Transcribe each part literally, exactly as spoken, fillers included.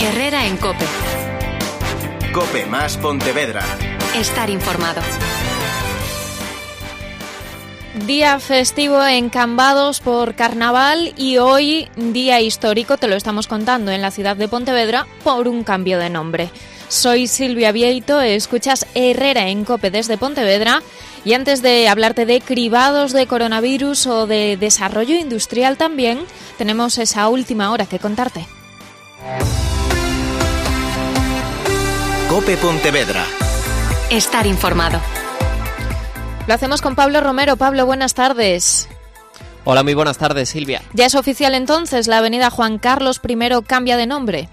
Herrera en COPE. COPE más Pontevedra. Estar informado. Día festivo en Cambados por Carnaval y hoy día histórico, te lo estamos contando, en la ciudad de Pontevedra por un cambio de nombre. Soy Silvia Vieito, escuchas Herrera en COPE desde Pontevedra y antes de hablarte de cribados de coronavirus o de desarrollo industrial también, tenemos esa última hora que contarte. COPE Pontevedra. Estar informado. Lo hacemos con Pablo Romero. Pablo, buenas tardes. Hola, muy buenas tardes, Silvia. ¿Ya es oficial entonces? ¿La avenida Juan Carlos primero cambia de nombre?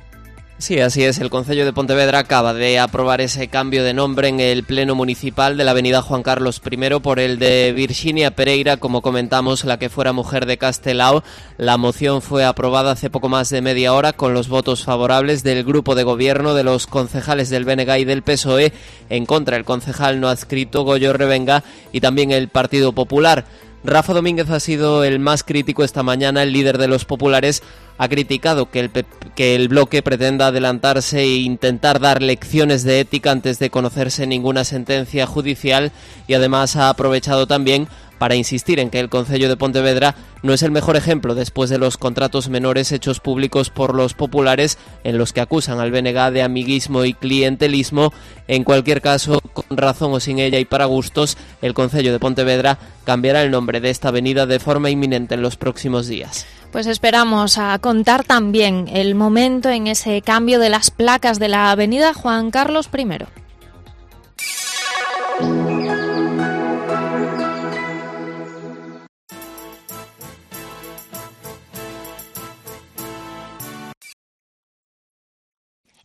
Sí, así es. El Concello de Pontevedra acaba de aprobar ese cambio de nombre en el Pleno Municipal de la avenida Juan Carlos primero por el de Virxinia Pereira, como comentamos, la que fuera mujer de Castelao. La moción fue aprobada hace poco más de media hora con los votos favorables del grupo de gobierno, de los concejales del B N G y del P S O E, en contra el concejal no adscrito Goyo Revenga y también el Partido Popular. Rafa Domínguez ha sido el más crítico esta mañana. El líder de los populares ha criticado que el, que el bloque pretenda adelantarse e intentar dar lecciones de ética antes de conocerse ninguna sentencia judicial y además ha aprovechado también para insistir en que el Concello de Pontevedra no es el mejor ejemplo después de los contratos menores hechos públicos por los populares en los que acusan al B N G de amiguismo y clientelismo. En cualquier caso, con razón o sin ella y para gustos, el Concello de Pontevedra cambiará el nombre de esta avenida de forma inminente en los próximos días. Pues esperamos a contar también el momento en ese cambio de las placas de la avenida Juan Carlos primero.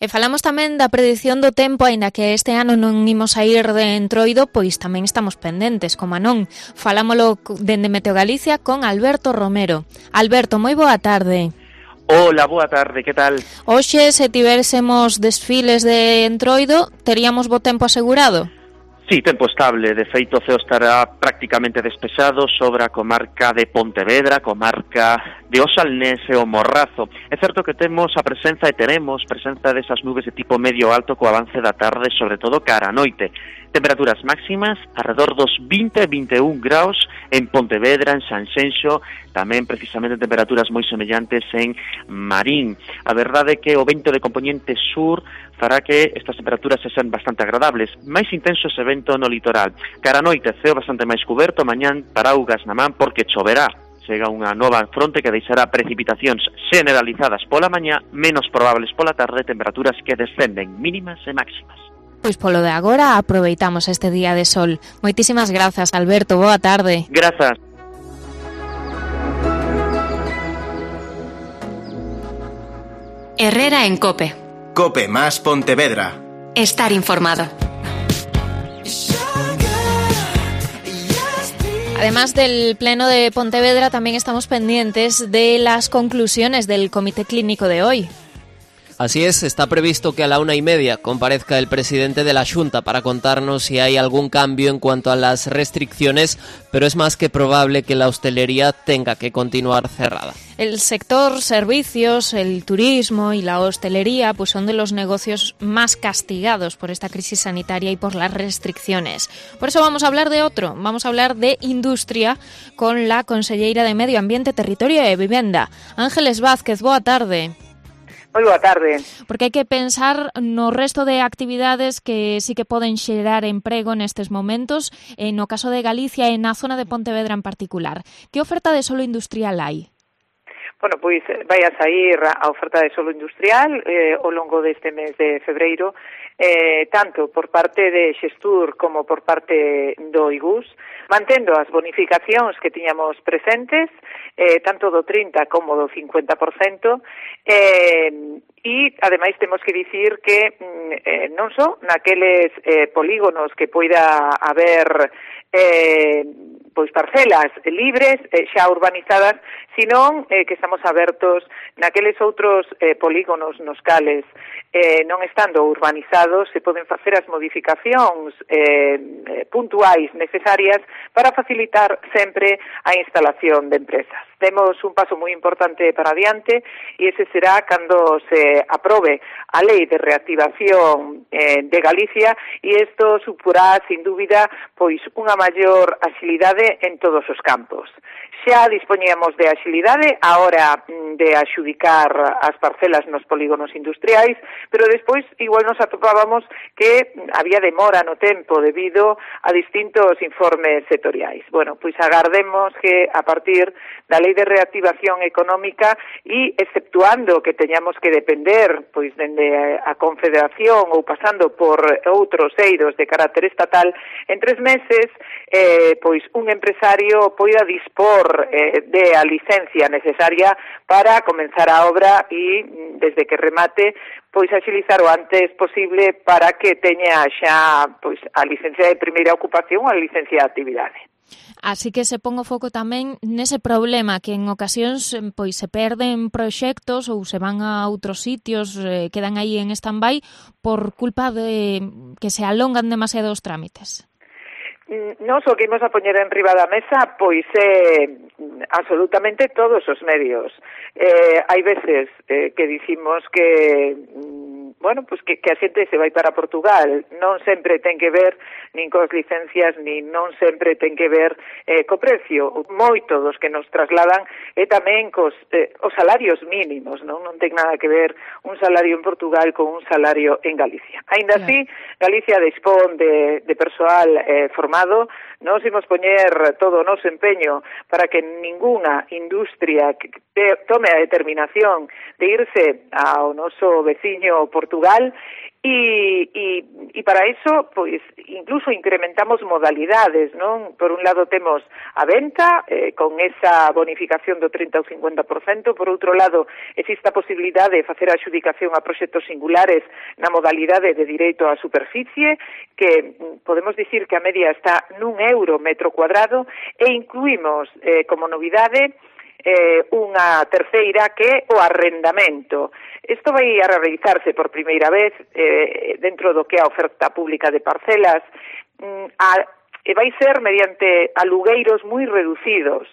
E falamos tamén da predición do tempo, aínda que este ano non imos a ir de entroido, pois tamén estamos pendentes, como non. Falámolo dende Meteo Galicia con Alberto Romero. Alberto, moi boa tarde. Hola, boa tarde, que tal? Hoxe, se tivésemos desfiles de entroido, teríamos bo tempo asegurado? Sí, tempo estable. De feito, o ceo estará prácticamente despexado sobre a comarca de Pontevedra, comarca de Osalnés e o Morrazo. É certo que temos a presenza e teremos presenza desas nubes de tipo medio alto co avance da tarde, sobre todo cara a noite. Temperaturas máximas alrededor dos vinte e vinte e un graus en Pontevedra, en Sanxenxo, tamén precisamente temperaturas moi semellantes en Marín. A verdade é que o vento de componente sur fará que estas temperaturas se sean bastante agradables. Máis intenso ese vento no litoral. Cara a noite, ceo bastante máis cuberto, mañán paraugas na man porque choverá. Chega unha nova fronte que deixará precipitacións generalizadas pola mañá, menos probables pola tarde, temperaturas que descenden mínimas e máximas. Pois polo de agora aproveitamos este día de sol. Moitísimas grazas, Alberto, boa tarde. Grazas. Herrera en COPE. COPE más Pontevedra. Estar informado. Además del Pleno de Pontevedra, también estamos pendientes de las conclusiones del Comité Clínico de hoy. Así es, está previsto que a la una y media comparezca el presidente de la Xunta para contarnos si hay algún cambio en cuanto a las restricciones, pero es más que probable que la hostelería tenga que continuar cerrada. El sector servicios, el turismo y la hostelería pues son de los negocios más castigados por esta crisis sanitaria y por las restricciones. Por eso vamos a hablar de otro, vamos a hablar de industria con la conselleira de Medio Ambiente, Territorio e Vivenda, Ángeles Vázquez. Boa tarde. Moi boa tarde. Porque hai que pensar no resto de actividades que sí que poden xerar emprego nestes momentos, e no caso de Galicia e na zona de Pontevedra en particular. Que oferta de solo industrial hai? Bueno, pois vai a sair a oferta de solo industrial eh, ao longo deste mes de febreiro, eh, tanto por parte de Xestur como por parte do I G U S, mantendo as bonificacións que tiñamos presentes, eh, tanto do trinta como do cincuenta por cento, eh, e, ademais, temos que dicir que eh, non só naqueles eh, polígonos que poida haber eh, pois parcelas libres, eh, xa urbanizadas, senón eh, que estamos abertos naqueles outros eh, polígonos nos cales eh, non estando urbanizados se poden facer as modificacións eh, puntuais necesarias para facilitar sempre a instalación de empresas. temos un paso moi importante para adiante e ese será cando se aprobe a Lei de Reactivación eh, de Galicia e isto suporá, sin dúbida, pois unha maior axilidade en todos os campos. Xa dispoñíamos de axilidade a hora de axudicar as parcelas nos polígonos industriais, pero despois igual nos atopábamos que había demora no tempo debido a distintos informes sectoriais. Bueno, pois agardemos que a partir da Lei de Reactivación Económica e exceptuando que teñamos que depender pois dende a Confederación ou pasando por outros eidos de carácter estatal, en tres meses eh, pois un empresario poida dispor eh, de a licencia necesaria para comenzar a obra e desde que remate pois axilizar o antes posible para que teña xa pois a licencia de primeira ocupación ou a licencia de actividade. Así que se pon o foco tamén nese problema que en ocasións pois se perden proxectos ou se van a outros sitios, eh, quedan aí en stand-by por culpa de que se alongan demasiado os trámites. Nos o que imos a poñer en riba da mesa pois é eh, absolutamente todos os medios. Eh, hai veces eh, que dicimos que bueno, pues que, que a xente se vai para Portugal, non sempre ten que ver nin cos licencias, nin non sempre ten que ver eh, co precio. Moito dos que nos trasladan é tamén cos eh, os salarios mínimos, non? Non ten nada que ver un salario en Portugal con un salario en Galicia. Aínda claro. Así, Galicia dispón de, de persoal eh, formado, nos imos poñer todo o noso empeño para que ninguna industria que te, tome a determinación de irse ao noso veciño Portugal e, e, e para iso, pois, incluso incrementamos modalidades, non? Por un lado temos a venta, eh, con esa bonificación do trinta ou cincuenta por cento, por outro lado existe a posibilidade de facer a adxudicación a proxectos singulares na modalidade de direito á superficie, que podemos dicir que a media está nun euro metro cuadrado, e incluímos eh, como novidade Eh, unha terceira que é o arrendamento. Isto vai a realizarse por primeira vez eh, dentro do que é a oferta pública de parcelas mm, a, e vai ser mediante alugueiros moi reducidos,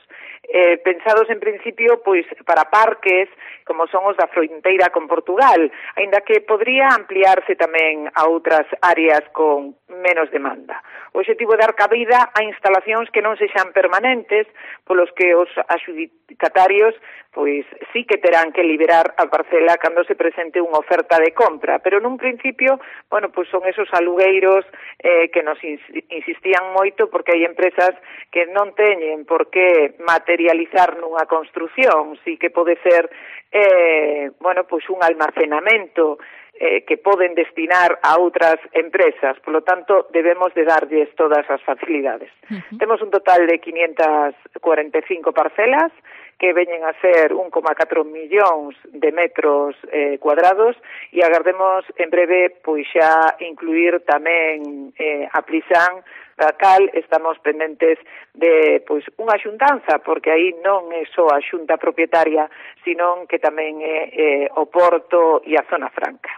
eh, pensados en principio pois para parques como son os da fronteira con Portugal, aínda que podría ampliarse tamén a outras áreas con menos demanda. O obxectivo é dar cabida a instalacións que non sexan permanentes, polos que os adxudicatarios pois sí que terán que liberar a parcela cando se presente unha oferta de compra, pero nun principio, bueno, pois son esos alugueiros eh, que nos insistían moito porque hai empresas que non teñen por que materializar nunha construción, sí que pode ser eh, bueno, pois un almacenamento eh, que poden destinar a outras empresas, polo tanto debemos de darlles todas as facilidades. Uh-huh. Temos un total de quinientas cuarenta e cinco parcelas que veñen a ser un coma catro millóns de metros eh, cuadrados e agardemos en breve pois xa incluir tamén eh, a Plisán, da cal estamos pendentes de pois unha xuntanza, porque aí non é só a xunta propietaria, senón que tamén é eh, o Porto e a Zona Franca.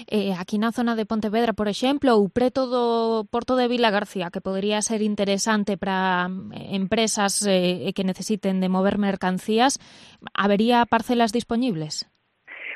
Eh, aquí na zona de Pontevedra, por exemplo, ou preto do Porto de Vilagarcía, que podría ser interesante para empresas eh, que necesiten de mover mercancías, habería parcelas dispoñibles?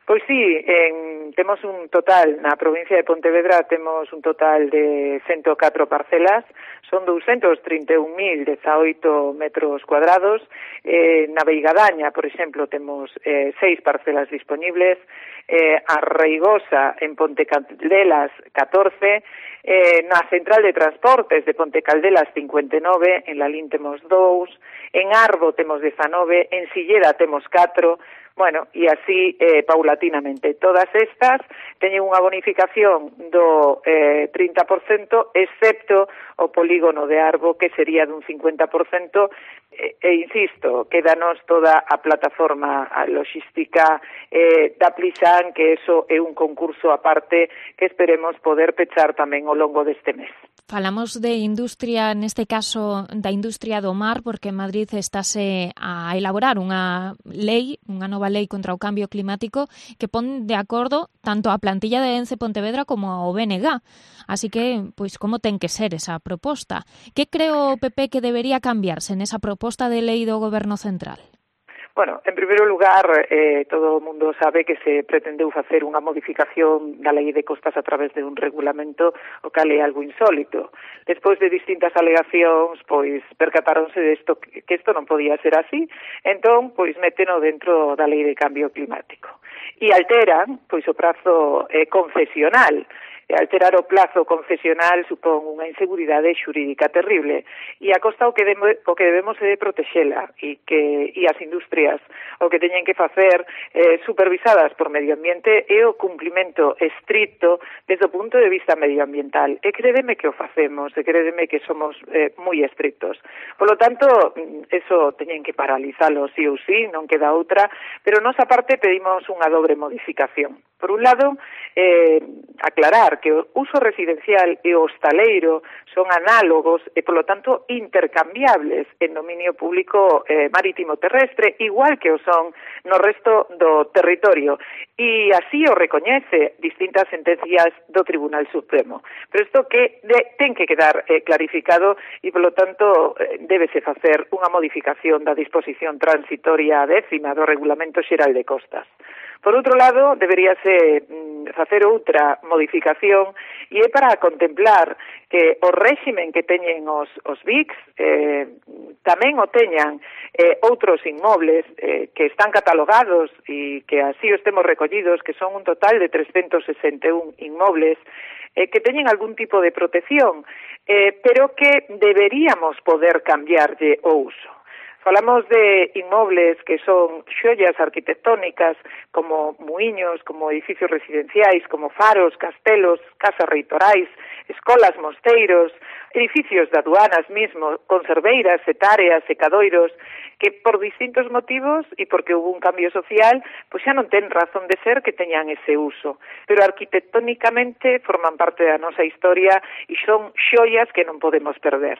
Pois sí, en, temos un total, na provincia de Pontevedra temos un total de ciento catro parcelas, son doscientos treinta e un mil dezaoito metros cuadrados, eh, na Veigadaña, por exemplo, temos eh, seis parcelas disponibles, eh, a Reigosa en Ponte Caldelas catorce, eh, na Central de Transportes de Ponte Caldelas cincuenta e nove, en Lalín temos dous, en Arbo temos dezanove, en Silleda temos catro, bueno, e así eh, paulatinamente. Todas estas teñen unha bonificación do eh, trinta por cento, excepto o polígono de Arbo, que sería dun cincuenta por cento, e, e insisto, quédanos toda a plataforma a logística eh, da Plisán, que eso é un concurso aparte que esperemos poder pechar tamén ao longo deste mes. Falamos de industria, neste caso da industria do mar, porque en Madrid estáse a elaborar unha lei, unha nova lei contra o cambio climático que pon de acordo tanto a plantilla de Ence Pontevedra como ao B N G. Así que, pois, como ten que ser esa proposta? Que creo o P P que debería cambiarse nesa proposta de lei do Goberno Central? Bueno, en primeiro lugar, eh, todo o mundo sabe que se pretendeu facer unha modificación da Lei de Costas a través de un regulamento, o cal é algo insólito. Despois de distintas alegacións, pois, percatáronse de isto, que isto non podía ser así, entón, pois, méteno dentro da Lei de Cambio Climático. E alteran, pois, o prazo eh, concesional. E alterar o plazo concesional supón unha inseguridade xurídica terrible e a costa o que, demo, o que debemos é de protexela e que e as industrias o que teñen que facer eh, supervisadas por medio ambiente é o cumplimento estricto desde o punto de vista medioambiental e crédeme que o facemos e crédeme que somos eh, moi estrictos. Por lo tanto, eso teñen que paralizalo sí ou sí, non queda outra, pero nosa parte pedimos unha dobre modificación. Por un lado, eh, aclarar que o uso residencial e o hostaleiro son análogos e, polo tanto, intercambiables en dominio público eh, marítimo terrestre, igual que o son no resto do territorio. E así o recoñece distintas sentencias do Tribunal Supremo. Pero isto que de, ten que quedar eh, clarificado e, polo tanto, eh, débese facer unha modificación da disposición transitoria décima do Regulamento Xeral de Costas. Por outro lado, deberíase mm, facer outra modificación e é para contemplar que o réximen que teñen os, os V I Cs eh, tamén o teñan eh, outros inmobles eh, que están catalogados e que así os temos recollidos, que son un total de trescentos sesenta e un inmobles eh, que teñen algún tipo de protección, eh, pero que deberíamos poder cambiarlle o uso. Falamos de inmobles que son xoias arquitectónicas como muiños, como edificios residenciais, como faros, castelos, casas reitorais, escolas, mosteiros, edificios de aduanas mismo, conserveiras, setáreas, secadoiros, que por distintos motivos e porque hubo un cambio social, pois xa non ten razón de ser que teñan ese uso. Pero arquitectónicamente forman parte da nosa historia e son xoias que non podemos perder.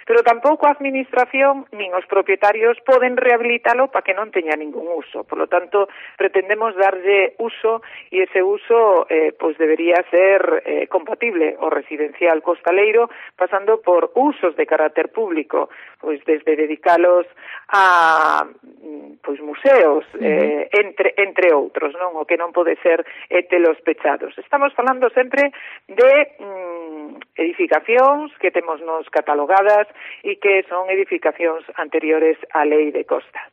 Pero tampouco a administración nin os propietarios poden rehabilitalo para que non teña ningún uso. Por lo tanto, pretendemos darlle uso e ese uso eh, pois debería ser eh, compatible o residencial costaleiro, pasando por usos de carácter público, pois desde dedicalos a pois museos, eh, entre entre outros, non? O que non pode ser é telos pechados. Estamos falando sempre de mm, edificacións que temos nos catalogadas e que son edificacións anteriores á Lei de Costas.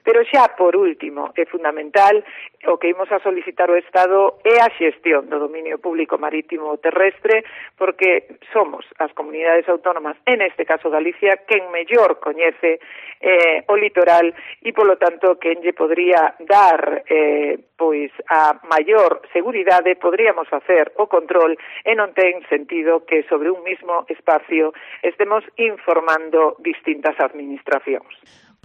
Pero xa, por último, é fundamental, o que imos a solicitar ao Estado é a xestión do dominio público marítimo terrestre, porque somos as comunidades autónomas, en este caso Galicia, quen mellor coñece eh, o litoral e, polo tanto, quen lle podría dar eh, pois a maior seguridade, podríamos facer o control e non ten sentido que sobre un mismo espacio estemos informando distintas administracións.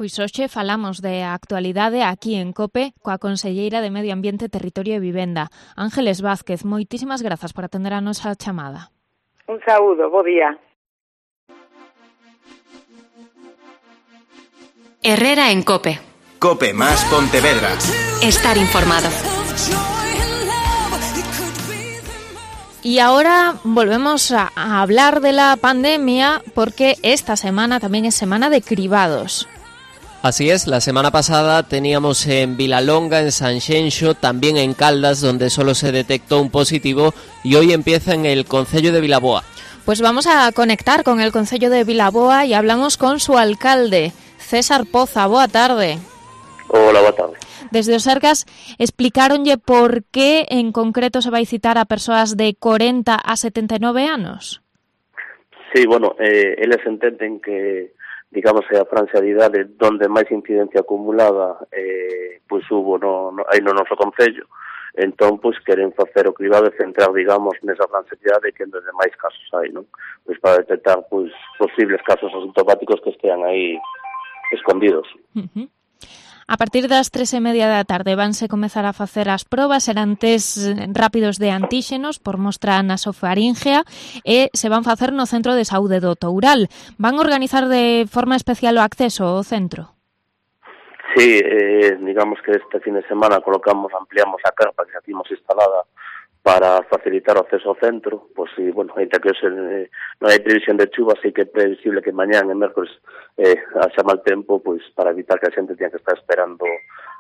Pois hoxe falamos de actualidade aquí en COPE coa conselleira de Medio Ambiente, Territorio e Vivenda, Ángeles Vázquez. Moitísimas grazas por atender a nosa chamada. Un saúdo, bo día. Herrera en COPE. COPE más Pontevedra. Estar informado. Y ahora volvemos a, a hablar de la pandemia porque esta semana también es semana de cribados. Así es, la semana pasada teníamos en Vilalonga, en Sanxenxo, también en Caldas, donde solo se detectó un positivo, y hoy empieza en el concello de Vilaboa. Pues vamos a conectar con el concello de Vilaboa y hablamos con su alcalde, César Poza. Boa tarde. Hola, boa tarde. Desde os Sergas explicaronlle por qué en concreto se vai citar a persoas de corenta a setenta e nove anos. Sí, bueno, eh, eles entenden que digamos que a franxa de idade donde máis incidencia acumulada eh, pois hubo no, no, aí no noso concello, entón pois queren facer o cribado e centrar, digamos, nesa franxa de idade que onde máis casos hai, non? Pois para detectar pois posibles casos asintomáticos que estean aí escondidos. Uh-huh. A partir das tres e media da tarde vanse comezar a facer as probas, serán test rápidos de antíxenos por mostra nasofaríngea e se van facer no Centro de Saúde do Toural. Van organizar de forma especial o acceso ao centro? Sí, eh, digamos que este fin de semana colocamos, ampliamos a carpa que xa tínhamos instalada para facilitar o acceso ao centro, pois si, bueno, ainda que hoxe eh, non hai previsión de chuva, así que é previsible que mañán e mércoles eh, haxa mal tempo, pois para evitar que a xente tenha que estar esperando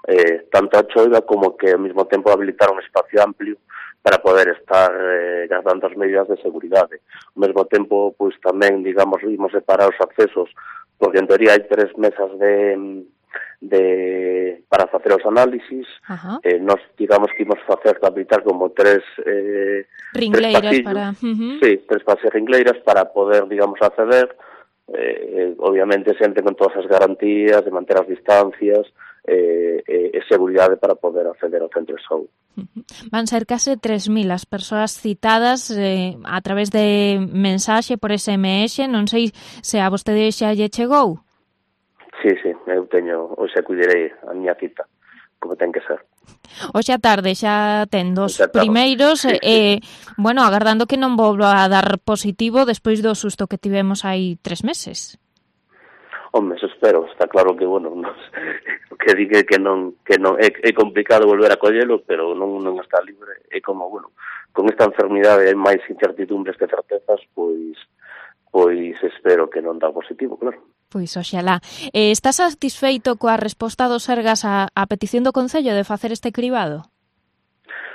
eh, tanto a choiva como que ao mesmo tempo habilitar un espacio amplio para poder estar eh, guardando as medidas de seguridade. Ao mesmo tempo, pois tamén, digamos, vimos separar os accesos, porque en teoría hai tres mesas de de para facer os análisis. Eh, nos digamos que imos facer habilitar como tres eh, ringleiras tres para uh-huh. sí, tres pases ringleiras para poder, digamos, acceder eh, obviamente sempre con todas as garantías de manter as distancias eh, e eh, seguridade para poder acceder ao centro de saúde. Uh-huh. Van ser case tres mil as persoas citadas eh, a través de mensaxe por S M S, non sei se a vostede xa lle chegou. Sí, sí, eu teño, hoxe acudirei a miña cita, como ten que ser. Hoxe a tarde xa ten dos tarde. primeiros, Sí, e, sí. bueno, agardando que non volva a dar positivo despois do susto que tivemos hai tres meses. Home, eso espero, está claro que, bueno, non, que diga que non, que non é, é complicado volver a collelo, pero non, non está libre, é como, bueno, con esta enfermidade hai máis incertidumbres que certezas, pois, pois espero que non dá positivo, claro. Pois oxalá. Eh, está satisfeito coa resposta do Sergas a, a petición do Concello de facer este cribado?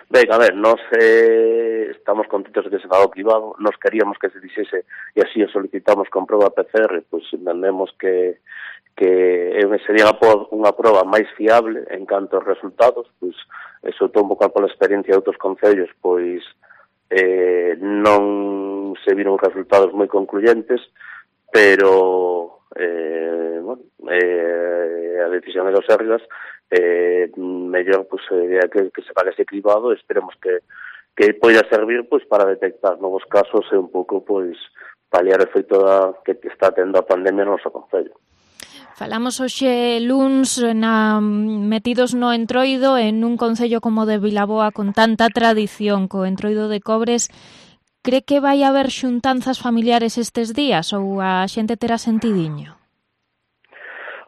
Ben, a ver, nós eh, estamos contentos de que se faga o cribado, nós queríamos que se dixese e así o solicitamos con proba P C R, pois entendemos que que sería unha proba máis fiable en canto aos resultados, pois eso todo un pouco pola experiencia de outros concellos, pois eh, non se viron resultados moi concluyentes, pero eh, bueno, eh, a decisión de los Sergas eh, mellor pues, eh, que, que se pague ese cribado, esperemos que, que poida servir pues, para detectar novos casos e un pouco pues, paliar o efecto da, que está tendo a pandemia no noso concello. Falamos hoxe luns na, metidos no Entroido, en un concello como de Vilaboa con tanta tradición, co Entroido de Cobres. Cree que vai haber xuntanzas familiares estes días ou a xente terá sentidiño?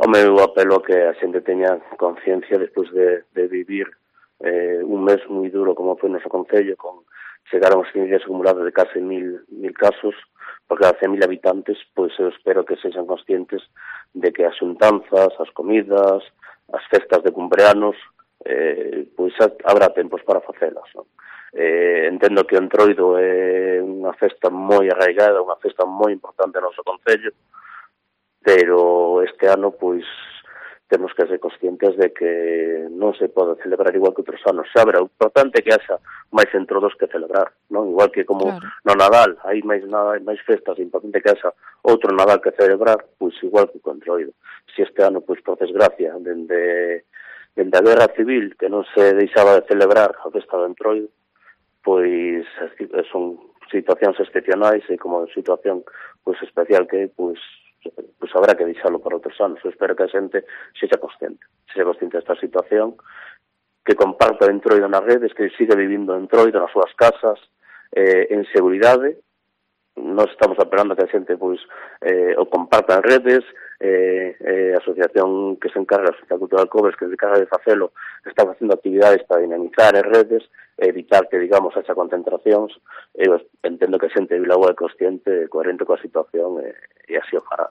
Home, eu apelo que a xente teña conciencia despois de, de vivir eh, un mes moi duro como foi o noso concello, con chegaron os días acumulados de case mil, mil casos por cada cen mil habitantes, pois eu espero que sexan conscientes de que as xuntanzas, as comidas, as festas de cumpleanos, eh, pois habrá tempos para facelas, non? Eh, entendo que o Entroido é unha festa moi arraigada, unha festa moi importante no noso concello, pero este ano, pois, temos que ser conscientes de que non se pode celebrar igual que outros anos. Xa verá, o importante é que haxa máis entroidos que celebrar, non? Igual que como claro. No Nadal hai máis nada, máis festas, é importante que haxa outro Nadal que celebrar, pois igual que o Entroido. Se este ano, pois, por desgracia, dende, dende a Guerra Civil, que non se deixaba de celebrar a festa do Entroido, pois son situacións excepcionais e como situación pois especial que pois pois habrá que deixalo para outros anos. Eu espero que a xente sexa consciente, sexa consciente desta situación, que comparta o Entroido nas redes, que siga vivindo o Entroido nas súas casas, eh, en seguridade. Nós estamos apelando a que a xente pois eh, o comparta en redes, eh, eh, a asociación que se encarga, a Asociación Cultural Cobres, que se encarga de facelo, está facendo actividades para dinamizar as redes, evitar que, digamos, haxa concentracións. Eu entendo que a xente de Vilaboa é consciente, coherente coa situación e, e así o fará.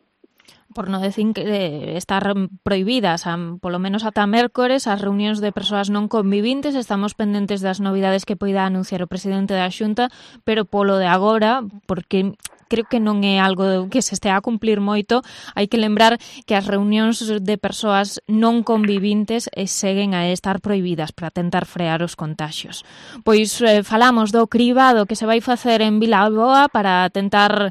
Por non decir que estar prohibidas, a, polo menos ata mércores, as reunións de persoas non convivintes. Estamos pendentes das novidades que poida anunciar o presidente da Xunta, pero polo de agora, porque creo que non é algo que se estea a cumplir moito, hai que lembrar que as reunións de persoas non convivintes seguen a estar prohibidas para tentar frear os contaxios. Pois eh, falamos do cribado que se vai facer en Vilaboa para tentar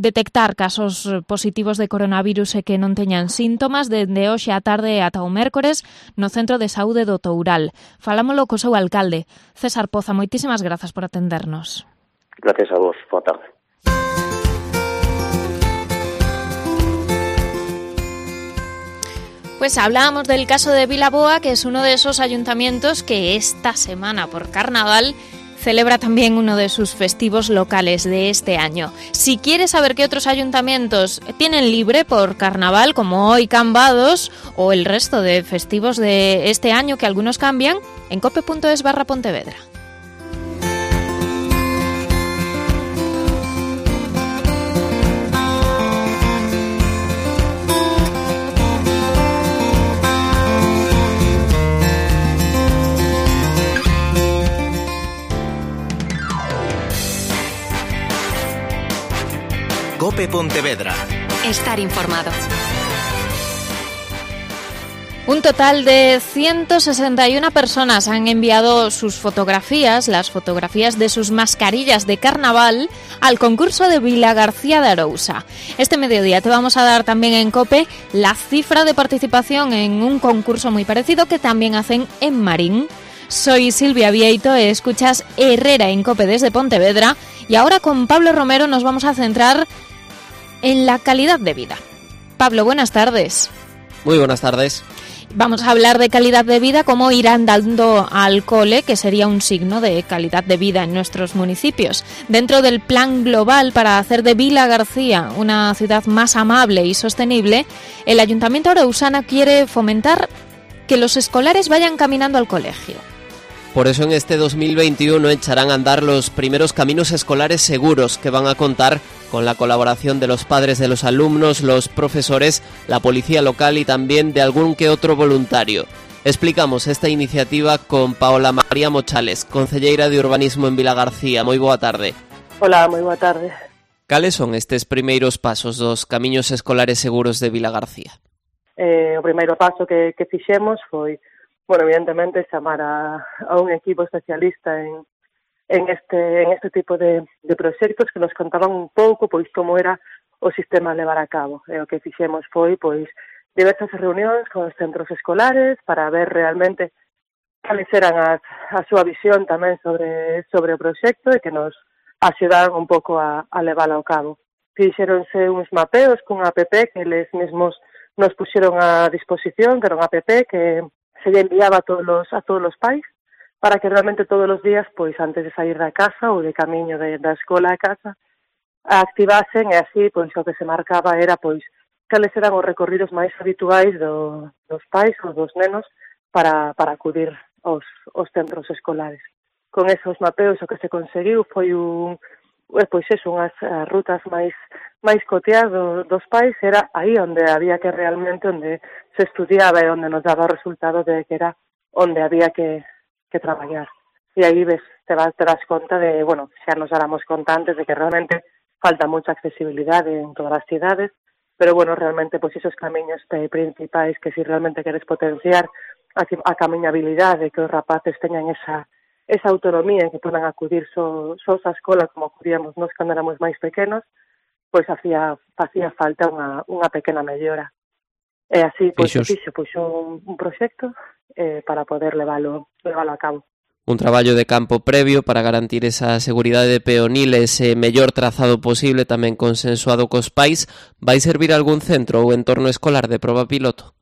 detectar casos positivos de coronavirus e que non teñan síntomas dende hoxe á tarde ata o mércores no Centro de Saúde do Toural. Falámolo co seu alcalde, César Poza. Moitísimas grazas por atendernos. Gracias a vos. Boa tarde. Pues hablábamos del caso de Vilaboa, que es uno de esos ayuntamientos que esta semana por carnaval celebra también uno de sus festivos locales de este año. Si quieres saber qué otros ayuntamientos tienen libre por carnaval, como hoy Cambados, o el resto de festivos de este año que algunos cambian, en cope punto es barra Pontevedra. COPE Pontevedra. Estar informado. Un total de ciento sesenta y una personas han enviado sus fotografías, las fotografías de sus mascarillas de carnaval, al concurso de Vilagarcía de Arousa. Este mediodía te vamos a dar también en COPE la cifra de participación en un concurso muy parecido que también hacen en Marín. Soy Silvia Vieito, escuchas Herrera en COPE desde Pontevedra y ahora con Pablo Romero nos vamos a centrar en la calidad de vida. Pablo, buenas tardes. Muy buenas tardes. Vamos a hablar de calidad de vida, cómo ir andando al cole, que sería un signo de calidad de vida en nuestros municipios. Dentro del plan global para hacer de Vilagarcía una ciudad más amable y sostenible, el Ayuntamiento Arousana quiere fomentar que los escolares vayan caminando al colegio. Por eso en este dos mil veintiuno echarán a andar los primeros caminos escolares seguros que van a contar con la colaboración de los padres de los alumnos, los profesores, la policía local y también de algún que otro voluntario. Explicamos esta iniciativa con Paola María Mochales, concelleira de Urbanismo en Vilagarcía. Moi boa tarde. Hola, moi boa tarde. Cales son estes primeiros pasos dos camiños escolares seguros de Vilagarcía? Eh, o primeiro paso que, que fixemos foi, bueno, evidentemente, chamar a, a un equipo especialista en en este en este tipo de, de proxectos que nos contaban un pouco pois como era o sistema a levar a cabo. E o que fixemos foi pois diversas reunións con os centros escolares para ver realmente cales eran as, a súa visión tamén sobre sobre o proxecto e que nos axudaran un pouco a, a leválo ao cabo. Fixeronse uns mapeos cun app que eles mesmos nos puxeron a disposición, que era un app que se lle enviaba a todos los, a todos os pais para que realmente todos os días, pois antes de sair da casa ou de camiño de, da escola a casa, a activasen e así, pois o que se marcaba era, pois, cales eran os recorridos máis habituais do, dos pais ou dos nenos para, para acudir aos, aos centros escolares. Con esos mapeos o que se conseguiu foi un, pois eso, unhas rutas máis máis coteadas do, dos pais, era aí onde había que realmente, onde se estudiaba e onde nos daba o resultado de que era onde había que que traballar. E aí ves, te vas, te das conta de, bueno, xa nos dáramos conta antes de que realmente falta mucha accesibilidade en todas as cidades, pero bueno, realmente, pois esos camiños principais que si realmente queres potenciar a, a camiñabilidade, que os rapaces teñan esa esa autonomía, que podan acudir so, sos a escola como acudíamos nos cando éramos máis pequenos, pois hacía, hacía falta unha, unha pequena mellora. E así, pois, se fixo pois, un, un proxecto eh, para poder leválo, leválo a cabo. Un traballo de campo previo para garantir esa seguridade peonil, ese mellor trazado posible, tamén consensuado cos pais. Vai servir algún centro ou entorno escolar de proba piloto?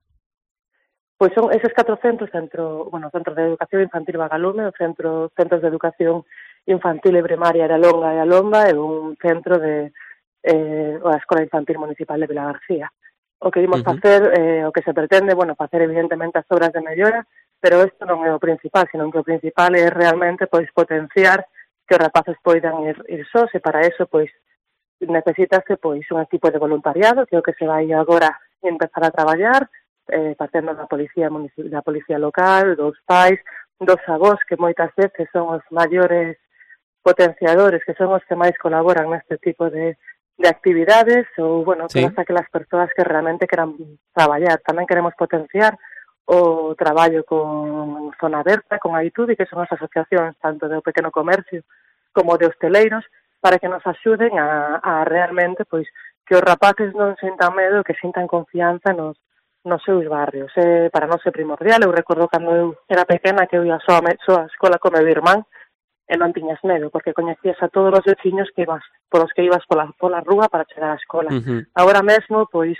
Pois son eses catro centros, centro, bueno, Centro de Educación Infantil Bagalume, o centro, Centros de Educación Infantil e Primaria de Alonga e Alomba e un centro de eh, a Escola Infantil Municipal de Vilagarcía. O que imos uh-huh. facer, eh, o que se pretende, bueno, facer evidentemente as obras de mellora, pero isto non é o principal, sino que o principal é realmente pois potenciar que os rapaces poidan ir, ir sós, e para eso pois necesitase pois un equipo de voluntariado, que é o que se vai agora empezar a traballar, eh, partendo da policía da policía local, dos pais, dos avós, que moitas veces son os maiores potenciadores, que son os que máis colaboran neste tipo de de actividades, ou, bueno, sí. Todas aquelas persoas que realmente queran traballar. Tamén queremos potenciar o traballo con Zona Aberta, con Aitude, que son as asociacións tanto do pequeno comercio como de hosteleiros, para que nos axuden a, a realmente, pois, que os rapaces non sintan medo, que sintan confianza nos, nos seus barrios. Eh, para nós é primordial. Eu recordo cando eu era pequena que eu ia só a, só a escola con meu irmán, e non tiñas medo, porque coñecías a todos os veciños que ibas, por os que ibas pola, pola rúa para chegar á escola. Uh-huh. Agora mesmo, pois,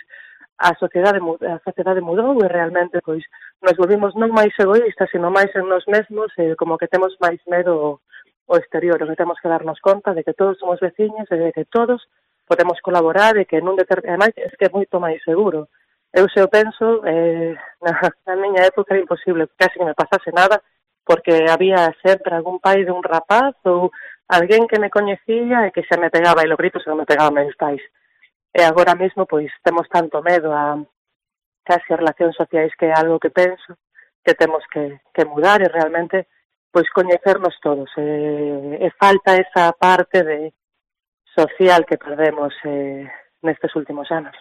a sociedade, a sociedade mudou e realmente, pois, nos volvimos non máis egoístas, sino máis en nos mesmos, e como que temos máis medo o exterior, o que temos que darnos conta de que todos somos veciños e de que todos podemos colaborar e que nun determinado, ademais, é que é moito máis seguro. Eu se o penso, eh, na, na miña época era imposible, casi que me pasase nada, porque había sempre algún pai de un rapaz ou alguén que me coñecía e que xa me pegaba, e lo grito se non me pegaba meus pais. E agora mesmo, pois, temos tanto medo a casi as relacións sociais, que é algo que penso que temos que, que mudar e realmente, pois, coñecernos todos. E, e falta esa parte de social que perdemos eh, nestes últimos anos.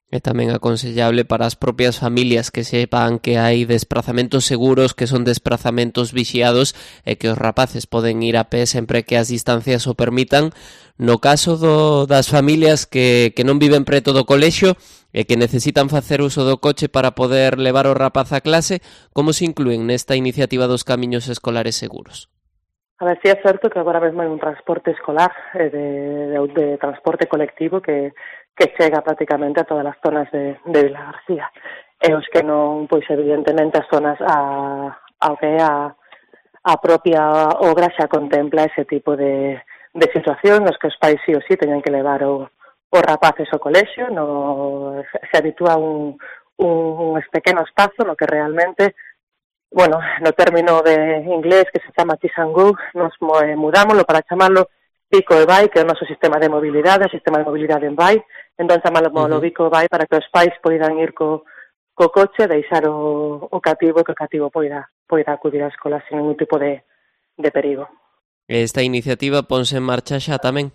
É tamén aconsellable para as propias familias que sepan que hai desplazamentos seguros, que son desplazamentos vixiados e que os rapaces poden ir a pé sempre que as distancias o permitan. No caso do, das familias que, que non viven preto do colexio e que necesitan facer uso do coche para poder levar o rapaz a clase, como se inclúen nesta iniciativa dos camiños escolares seguros? A ver, si é certo que agora mesmo hai un transporte escolar, eh, de, de, de transporte colectivo que, que chega prácticamente a todas as zonas de, de Vila García. E os que non, pois evidentemente as zonas a, ao que é a, a propia obra xa contempla ese tipo de, de situación nos que os pais sí ou sí teñen que levar o, os rapaces ao colexio, no, se habitúa un, un, un pequeno espazo no que realmente, bueno, no término de inglés que se chama Kiss and Go, nos mudámoslo para chamarlo Bico e Vai, que é o noso sistema de mobilidade, o sistema de mobilidade en Vai, entón chamámoslo uh-huh. Bico e Vai para que os pais poidan ir co, co coche, deixar o, o cativo, que o cativo poida, poida acudir á escola sin ningún tipo de, de perigo. Esta iniciativa ponse en marcha xa tamén?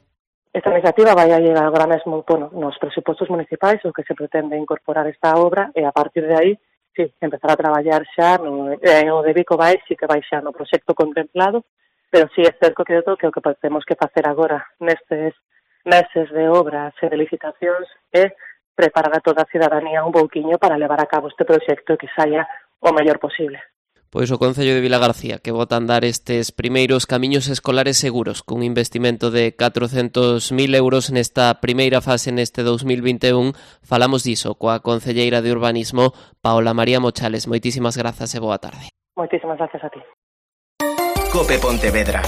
Esta iniciativa vai a llegar agora mesmo, bueno, nos presupostos municipais, o que se pretende incorporar esta obra, e a partir de aí sí, empezar a traballar xa no, eh, o de Bico Vai, sí que vai xa no proxecto contemplado, pero sí é certo que, que o que temos que facer agora nestes meses de obras e de licitacións é preparar a toda a cidadanía un pouquiño para levar a cabo este proxecto e que saia o mellor posible. Pois o Concello de Vilagarcía que bota a andar estes primeiros camiños escolares seguros cun investimento de catrocentos mil euros nesta primeira fase neste dos mil vinte e un. Falamos diso coa concelleira de Urbanismo, Paola María Mochales. Moitísimas grazas e boa tarde. Moitísimas gracias a ti. Cope Pontevedra.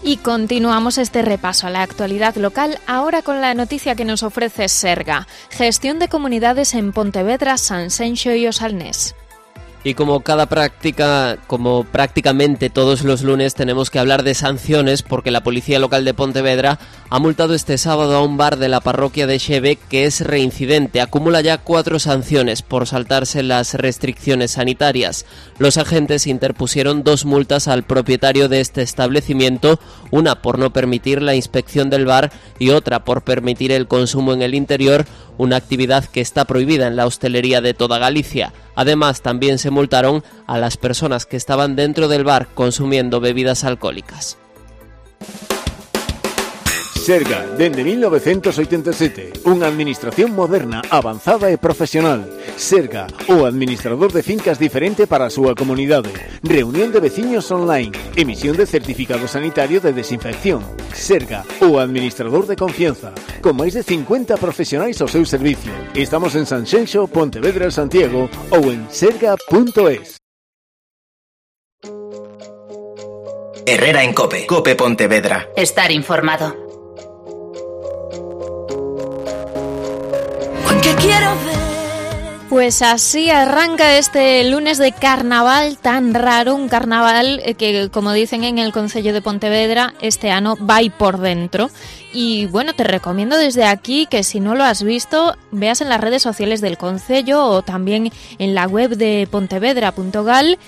Y continuamos este repaso a la actualidad local ahora con la noticia que nos ofrece Serga. Gestión de comunidades en Pontevedra, Sanxenxo y Osalnés. Y como cada práctica, como prácticamente todos los lunes, tenemos que hablar de sanciones porque la Policía Local de Pontevedra ha multado este sábado a un bar de la parroquia de Xeve que es reincidente. Acumula ya cuatro sanciones por saltarse las restricciones sanitarias. Los agentes interpusieron dos multas al propietario de este establecimiento, una por no permitir la inspección del bar y otra por permitir el consumo en el interior, una actividad que está prohibida en la hostelería de toda Galicia. Además, también se multaron a las personas que estaban dentro del bar consumiendo bebidas alcohólicas. Serga, dende mil novecientos oitenta e sete, unha administración moderna, avanzada e profesional. Serga, o administrador de fincas diferente para a súa comunidade. Reunión de veciños online, emisión de certificado sanitario de desinfección. Serga, o administrador de confianza, con máis de cincuenta profesionais ao seu servicio. Estamos en Sanxenxo, Pontevedra, Santiago ou en serga punto es. Herrera en Cope, Cope Pontevedra. Estar informado. Pues así arranca este lunes de carnaval tan raro, un carnaval que, como dicen en el Concello de Pontevedra, este ano vai por dentro. Y bueno, te recomiendo desde aquí que si no lo has visto, veas en las redes sociales del Concello o también en la web de pontevedra punto gal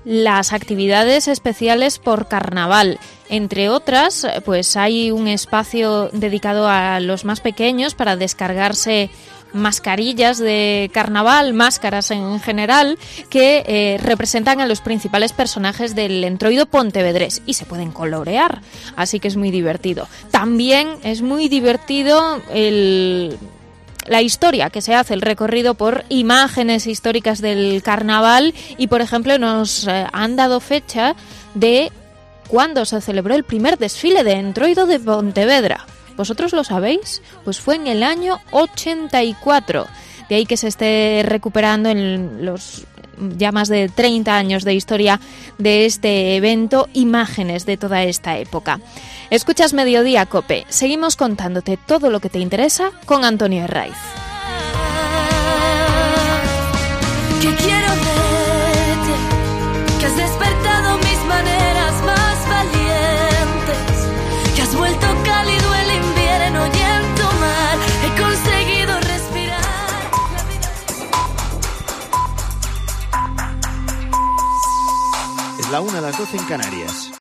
las actividades especiales por carnaval. Entre otras, pues hay un espacio dedicado a los más pequeños para descargarse mascarillas de carnaval, máscaras en general, que eh, representan a los principales personajes del entroido pontevedrés y se pueden colorear, así que es muy divertido. También es muy divertido el... la historia que se hace, el recorrido por imágenes históricas del carnaval y, por ejemplo, nos eh, han dado fecha de cuándo se celebró el primer desfile de entroido de Pontevedra. ¿Vosotros lo sabéis? Pues fue en el año ochenta y cuatro. De ahí que se esté recuperando en los ya más de treinta años de historia de este evento, imágenes de toda esta época. Escuchas Mediodía Cope. Seguimos contándote todo lo que te interesa con Antonio Herraiz. Que quiero verte, que has despertado mis maneras más valientes, que has vuelto cálido el invierno y en tu mar he conseguido respirar. Es la una a las doce en Canarias.